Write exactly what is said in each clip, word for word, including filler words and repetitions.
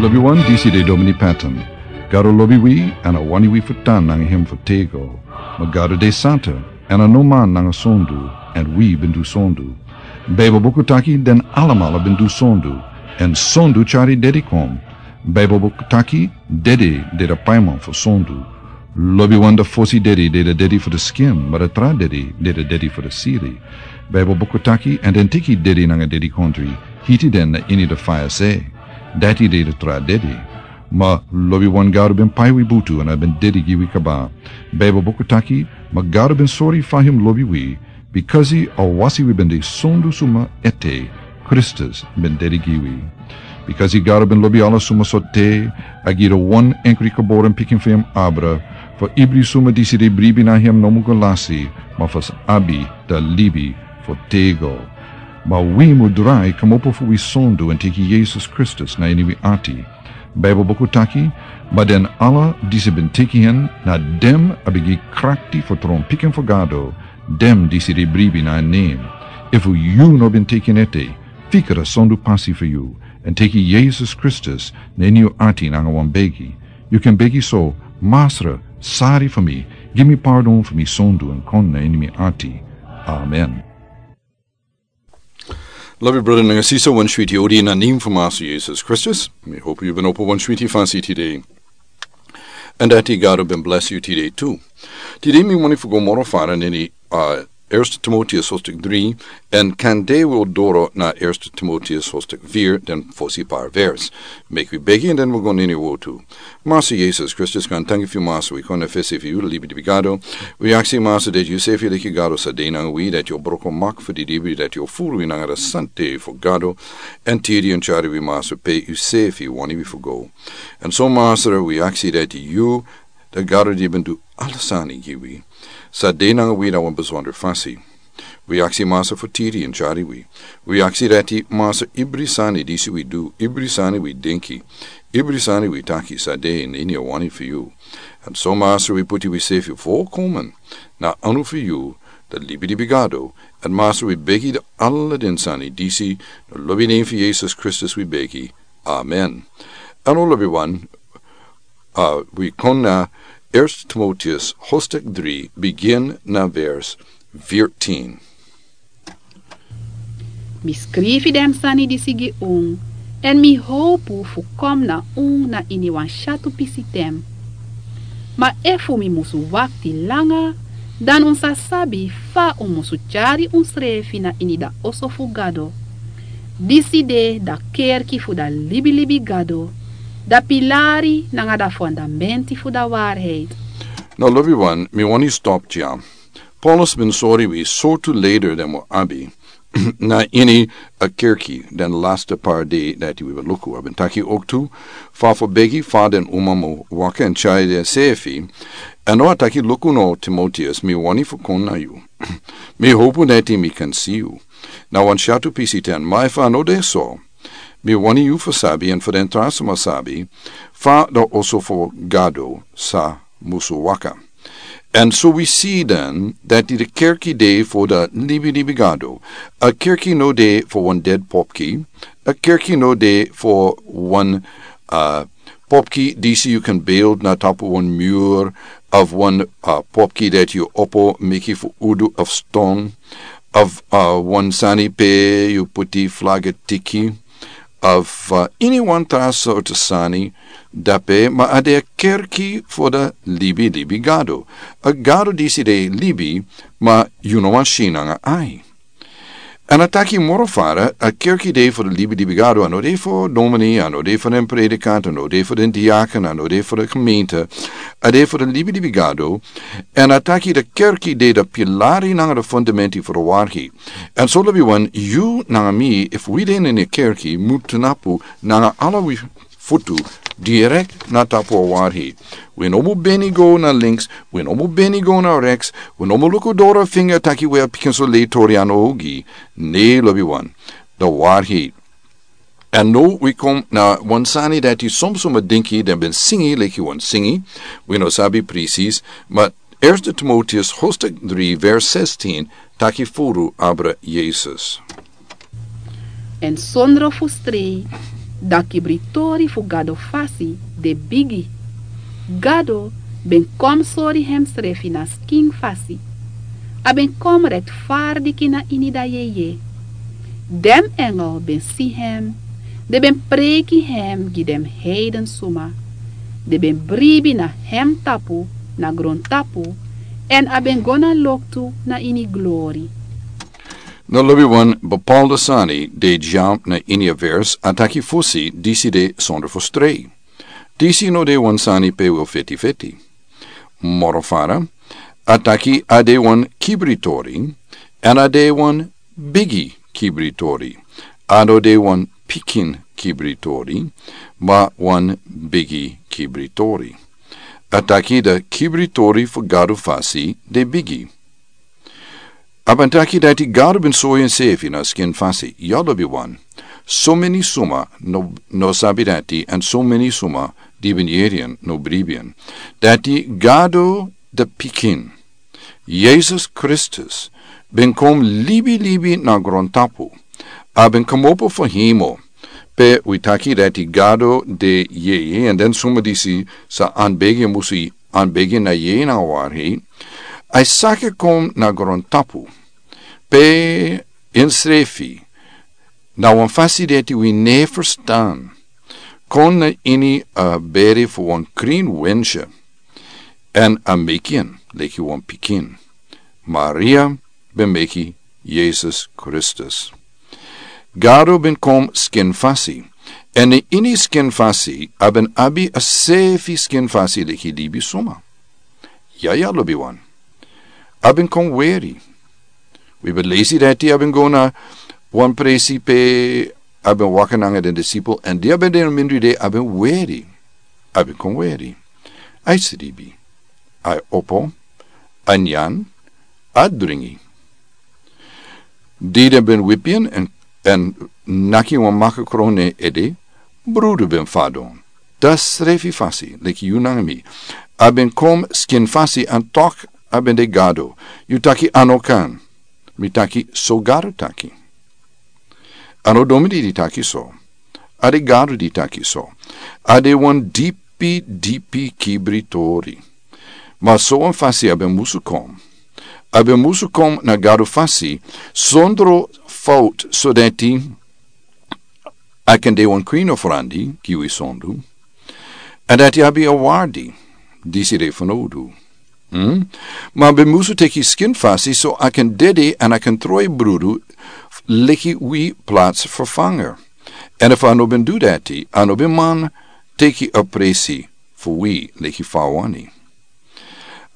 Lobi wan, disi de Domini Patton. Gado lobi wi, èn a wani wi fu tan nanga hem fu tego. Ma Gado de santa, èn a no man nanga sondu, èn wi ben du sondu. Baibel buku taki den alamala ben du sondu, èn sondu tyari dedi kon. Baibel buku taki dedi de a paiman fu sondu. Lobi wan, a fosi dedi de a dedi fu a skin, ma a tra dedi de a dedi fu a sili. Baibel buku taki, èn den teki dedi nanga dedikondri, hiti den na ini a faya se. Dati de a tra dedi. Ma lobi wan, Gado ben pai wi butu èn a ben dedi gi wi kaba. Baibel buku taki, ma Gado ben sori fa hem lobi wi, bikasi a wasi wi ben de sondu suma ete, Kristus ben dedi gi wi. Bikasi Gado ben lobi ala suma sortu, a gi a wan enkri geboren pikin fu hem abra, fu ibri suma disi de bribi na hem no mu go lasi, ma fu abi a libi fu tego. Ma wi mu drai kmopo fu wi sondu èn teki Yesus Kristus na ini wi ati. Baibel buku taki, ma den ala disi ben teki hen, na den a ben gi krakti fu tron pikin fu Gado, den disi de bribi na nen. Efu yu no ben teki en ete, fika a sondu pasi fu yu, èn teki Yesus Kristus na ini yu ati nanga wan begi. Yu kan begi so: Masra, sori fu mi, gi mi pardon fu mi sondu èn kon na ini mi ati. Amen. Lobi brada nanga sisa, wan switi odi na nen fu Masra Yesus Kristus. Mi hopu yu ben opo wan switi fasi tide. Èn dati Gado ben blesi yu tide tu. Tide mi wani fu go moro fara na ini, uh, Eerste Timoteus hoofdstuk drie, èn kande wi o doro na Eerste Timoteus hoofdstuk vier, den fosi par vers. Meki wi begi èn den wi go na ini wotu. Masra Yesus Kristus, gaantangi fu yu Masra, wi kon na fesi fu yu, libi libi Gado. Wi aksi Masra dati yu sefi leki Gado sa de nanga wi, dati yu o broko mak fu di libi, dati yu o furu wi nanga a sante fu Gado. Èn tiri èn tyari wi Masra pe yu sefi wani wi fu go. Èn so Masra, wi aksi dati yu, a Gado di ben du ala sani gi wi, sa de nanga wi na wan besonder fasi. Wi aksi Masra fu tiri èn tyari wi. Wi aksi dati Masra, ibri sani disi wi du, ibri sani wi denki, ibri sani wi taki sa de na ini a wani fu yu. Èn so Masra, wi puti wi sefi volkomen na anu fu yu, a libi libi Gado. Èn Masra, wi begi ala den sani disi, na lobi nen fu Yesus Kristus wi begi. Amen. Èn lobi wan, uh, wi kon na Eerste Timoteus hoofdstuk drie, begin na vers veertien. Mi skrifi den sani disi gi un, èn mi howpu fu kon na un na ini wan syatu pisi ten. Ma efu mi musu wakti langa, dan un sa sabi fa un musu tyari unsrefi na ini a oso fu Gado. Disi de a kerki fu a libi libi Gado, a pilari nanga a fondamenti fu a waarheid. Now, lobi wan, mi wani stop dya. Paulus ben sori wi sortu leider den wi abi na ini a kerki den laatste paar dei dati wi ben luku. A ben taki ook tu fa fu begi fa den uma mu waka èn tyari densefi. Èn now a taki: Luku now, Timoteus, mi wani fu kon na yu. Mi howpu dati mi kan si yu na wan syatu pisi ten, ma efu a no de so, mi wani yu fu sabi èn fu den tra sma sabi fa a oso fu Gado sa musu waka. Èn so wi si dan dati a kerki de fu a libi libi Gado. A kerki no de fu wan ded popki. A kerki no de fu wan, uh, popki disi yu kan beeld na tapu wan muur, of wan, uh, popki dati yu opo meki fu udu of ston, of, uh, wan sani pe yu puti flaga tiki, of, uh, ini wan tra sortu sani dape, ma a de a kerki fu a libi libi Gado. A Gado disi de libi, ma yu no wani si nanga ai. Èn a taki moro fara, a kerki de fu a libi libi Gado, a no de fu domini, a no de fu den predikant, a no de fu den diaken, a no de fu a gemeente, a de fu a libi libi Gado. Èn a taki a kerki de a pilari nanga a fondamenti fu a waarheid. Èn so lobi wan, yu nanga mi, efu wi de na a kerki, mu tnapu nanga ala wi futu direkt na tapu a waarheid. Wi no mu beni go na links, wi no mu beni go na reks, wi no mu luku doro finga taki wi a pikinso lei tori a no ogi, ne lobi wan, a waarheid. Èn now wi kon na wan sani dati somsma dinki den ben singi leki wan singi, wi no sabi precies, ma Eerste Timoteus hoofdstuk drie vers zestien taki furu abra Yesus. En sondro fu strei, Dan kibritori fu Gado fasi de bigi. Gado ben kon sori hemsrefi na skin fasi. A ben kon retfardiki na ini dan yeye. Den engel ben si hem, den ben preiki hem gi den heiden suma. Den ben bribi na hem tapu, na grontapu, èn a ben go na loktu na ini glori. No lobi wan bepaalde sani de dya na ini a vers a taki fosi disi de sonder fu strei. Disi no de wan sani pe wi o feti feti. Moro fara, a taki a de wan kibritori, èn a de wan bigi kibritori. A no de wan pikin kibritori, ma wan bigi kibritori. A taki dan kibritori fu Gado fasi de bigi. A ben taki dati Gado ben sori ensefi na skin fasi, ya lobi wan. So meni suma no, no sabi dati, èn so meni suma di ben yeri en no bribi en. Dati Gado dan pikin, Yesus Kristus, ben kon libi libi na grontapu. A ben komopo fu hemel. Pe wi taki dati Gado de yeye, èn den suma disi sa anbegi en musi anbegi na yeye na wari. A saka kon na grontapu. Pe ensrefi, na wan fasi dati wi no e ferstan. Kon na ini a beri fu wan krin wensha. Èn a meki en leki wan pikin. Maria ben meki Yesus Kristus. Gado ben kon skin fasi. Èn na ini skin fasi, a ben abi a sefi skin fasi leki libi suma. Ya, ya, lobi wan. A ben kon weri. Wi ben lesi dati a ben go na wan presi pe a ben waka nanga den disipel, èn di a ben de na mindri de a ben weri. A ben kon weri. A e sribi. A e opo. A nyan. A dringi. Di den ben wipi en, èn, èn naki wan makakron na en ede, brudu ben fadon. Dan srefi fasi, leki yu nanga mi. A ben kon skin fasi èn tok a ben de Gado. Yu taki a no kan. Mi taki so Gado taki. A no domidi di taki so. A de Gado di taki so. A de wan dipi, dipi kibritori. Ma so wan fasi a ben musu kon. A ben musu kon na Gado fasi, sondro fout, so dati a kan de wan kwin of randi, gi wi sondu. Èn dati abi a wardi, disi de fanowdu. Hmm? Ma a ben musu teki skin fasi, so a kan dede èn a kan troi brudu, leki wi plaats vervanger. Èn efu a no ben du dati, a no ben man teki a presi fu wi leki fa a wani.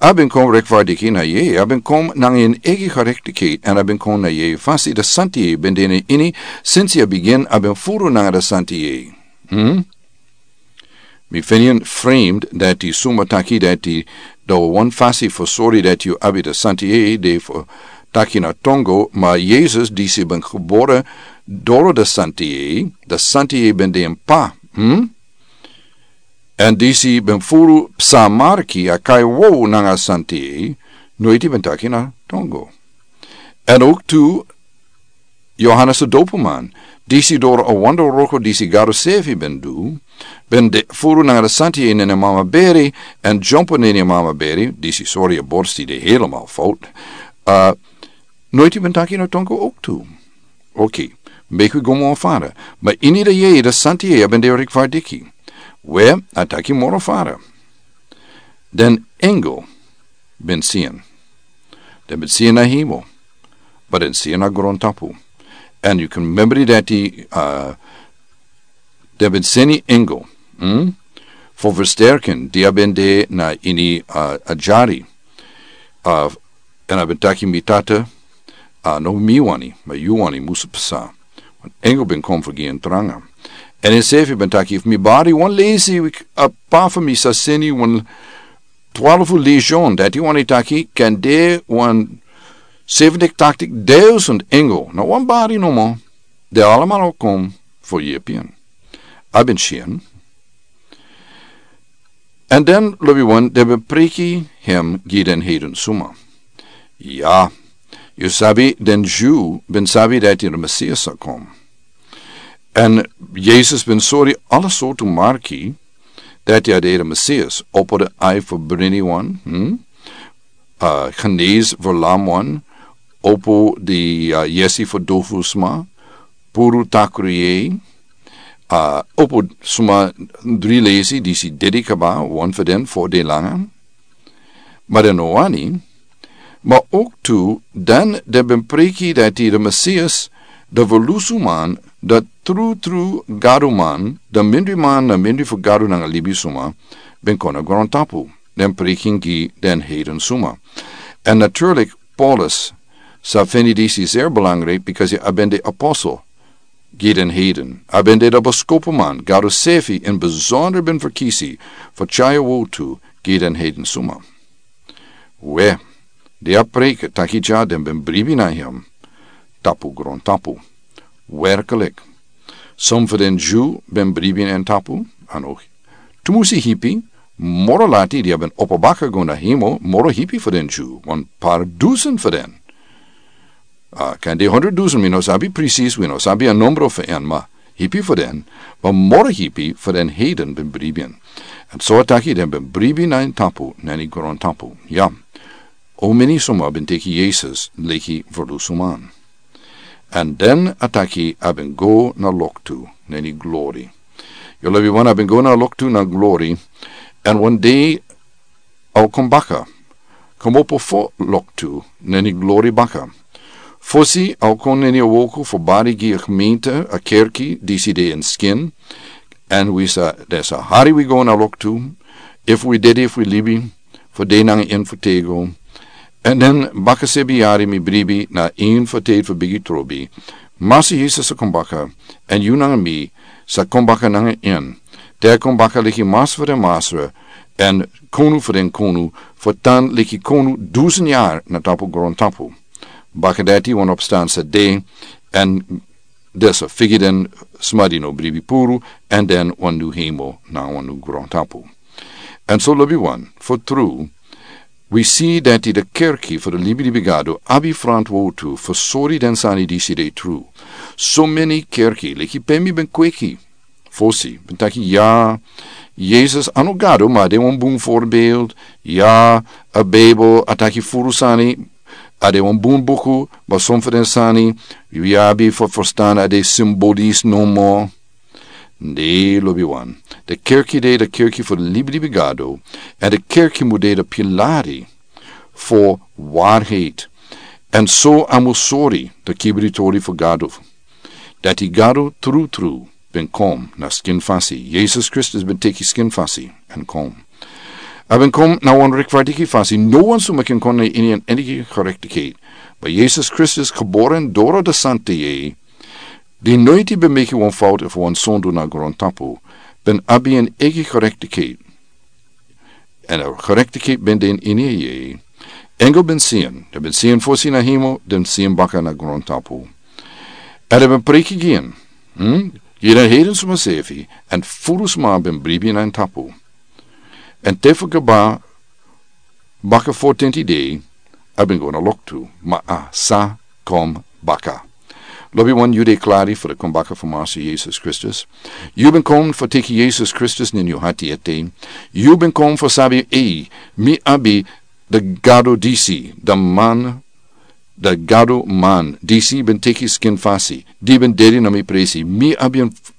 A ben kon rekvardiki na yeye, a ben kon nanga en egi gerektikheid, èn a ben kon na yeye fasi, dan santi yeye ben de na ini, sinsi a bigin, a ben furu nanga dan santi yeye. Hmm? Mi feni en vreemd dati suma taki dati dan wan fasi fu sori dati yu abi dan santi yeye de fu taki na tongo, ma Yesus disi ben gebore doro dan santi yeye, dan santi yeye ben de en pa. Hmm? Èn disi ben furu psa marki a kai wow nanga santi yeye, noiti ben taki na tongo. Èn ook tu Yohanes de doperman, disi doro a wonder wroko disi Gado sefi ben du, ben de furu nanga dan santi yeye na en mama beri, èn dyompo na en mama beri, disi sori a borsti de helemaal fout. Uh, noiti ben taki na tongo ook tu. Oké, meki wi go moro fara. Ma ini dan yeye dan santi yeye a ben de rekvardiki. We, a taki moro fara. Den engel ben si en. Den ben si en na hemel. Ma den si en na grontapu. Èn yu kan memori dati, uh, den ben seni engel. Hmm? Fu versterken, di a ben de na ini, uh, a dyari. Uh, Èn a ben taki mi tata, a no mi wani, ma yu wani musu psa. Wan engel ben kon fu gi en tranga. Èn ensefi ben taki, efu mi bari wan lesi, a p'pa fu mi sa seni wan twalfu legion, dati wani taki, kan de wan seventig, tachtig duizend engel. Na wan bari nomo, den allemaal o kon fu yepi en. A ben si en. Èn den lobi wan den ben preiki hem gi den heiden suma. Ya, yu sabi den Dyu ben sabi dati den Mesias sa kon. Èn Yesus ben sori ala sortu marki dati a de de Mesias, opo de ai fu brini wan, hmm? A, genesi fu lam wan, opo de, a, yesi fu dofu sma, puru takru yei, a, opo sma dri lesi disi dedi kaba, wan fu den fo de langa. Ma den no wani, ma ook tu, dan den ben preki dati de Mesias, de verlusu man, de tru tru Gado man, de mindri man na mindri fu Gado nanga libisuma, ben kon na grontapu, den preki gi den heiden suma. Èn natuurlijk, Paulus, sa feni disi zeer belangrijk, because a ben de apostel gi den heiden. A ben de de beskopuman, Gado sefi in bijzonder ben verkisi, fu tyari wotu gi den heiden suma. We, de a preki taki dya den ben bribi na hem, tapu grontapu. Werkelijk. Som fu den Jew ben bribi na en tapu, a no tumusi hipi, moro lati di a ben opo baka go na hemo, moro hipi fu den Jew, wan par dusen fu den. A, kan de honderd dusen, mi no sabi precies, wi no sabi a nombro fu en, ma hipi fu den, ma moro hipi fu den heiden ben bribi en. Èn so a taki den ben bribi na en tapu, na ini grontapu. Ya. O meni suma ben teki Yesus leki verlusuman. Èn den a taki a ben go na loktu, na ini glori. Yu lobi wan a ben go na loktu na glori, èn wan dei a o kon baka, komopo fo loktu, na ini glori baka. Fosi a o kon na ini a woku fu bari gi a gemeente, a kerki, disi de ini skin, èn wi sa, den sa hari wi go na loktu, efu wi dedi, efu wi libi, fu de nanga en fu tego. Èn den baka sebi yari mi bribi na ini fu te fu bigi trobi. Masra Yesus a kon baka, èn yu nanga mi sa kon baka nanga en. Te a kon baka leki Masra fu den masra, èn Konu fu den konu, fu tan leki konu dusen yari na tapu grontapu. Baka dati wan opstan sa de, èn den sa figi den sma di no bribi puru, èn den wan nu hemo na wan nu grontapu. Èn so lobi wan, fu tru, wi si dati de kerki fu de libilibi Gado abi frantwortu fu sori den sani disi de tru. So meni kerki, leki pe mi ben kweki fosi, ben taki ya, Yesus a no Gado, ma a de wan bun voorbeeld. Ya, a Bijbel a taki furu sani, a de wan bun buku, ma son fu den sani, yu abi fu verstan a de symbolisch nomo. Ne, lobi wan. De kerki de, de kerki fu de libilibi Gado, èn de kerki mu de de pilari fu waarheid. Èn so a mu sori de kibri tori fu Gado. Dati Gado tru tru ben kon na skin fasi. Yesus Kristus ben teki skin fasi èn kon. A ben kon na wan rechtvaardige fasi. No wan suma kan kon na ini en enige gerechtigheid. Ma Yesus Kristus, geboren door de Santa Yeye, di noiti ben meki wan fout efu wan sondu na grontapu, ben abi en eigi gerechtigheid. Èn a gerechtigheid ben de ini en. Engel ben si en, den ben si en fosi na hemel, den si en baka na grontapu. Èn den ben preki gi en, hmm? Gi den heiden suma sefi, èn furu sma ben bribi na en tapu. Èn te fu kaba baka fo tenti dei, a ben go na loktu, ma a sa kon baka. Lobi wan, yu de klari fu de kon baka fu Masra Yesus Kristus? Yu ben kon fu teki Yesus Kristus na ini yu hati ete? Yu ben kon fu sabi, ei, mi abi de Gado disi, de man, de Gado man disi ben teki skin fasi, di ben dedi na mi presi, mi abi en f-,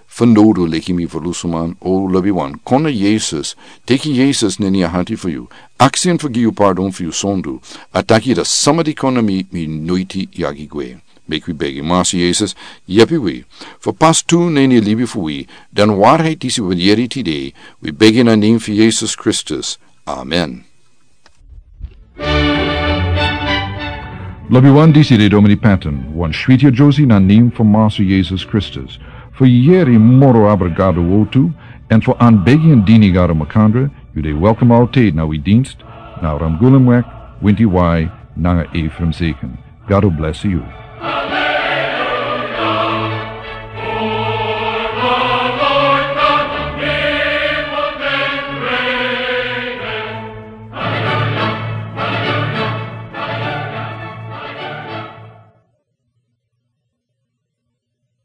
fenodu leki mi verlusuman? O lobi wan, kon na Yesus, teki Yesus na ini yu hati fu yu, aksi en fu gi yu pardon fu yu sondu, a taki dati sama di kon na mi, mi noiti yagi gwe. Meki wi begi. Masra Yesus, yepi wi fu pas tu na ini libi fu wi den waarheid disi wi ben yere tide. Wi begi na nen fu Yesus Kristus. Amen. Lobi wan, disi de Domini Patton, wan switi a Josie na nen fu Masra Yesus Kristus. Fu yere moro abra Gado wortu, èn fu anbegi èn dini Gado makandra, yu de welkom altijd na wi dienst, na Ramgulumweg, Winti Wai, nanga Ephraim Zeken. Gado blesi yu.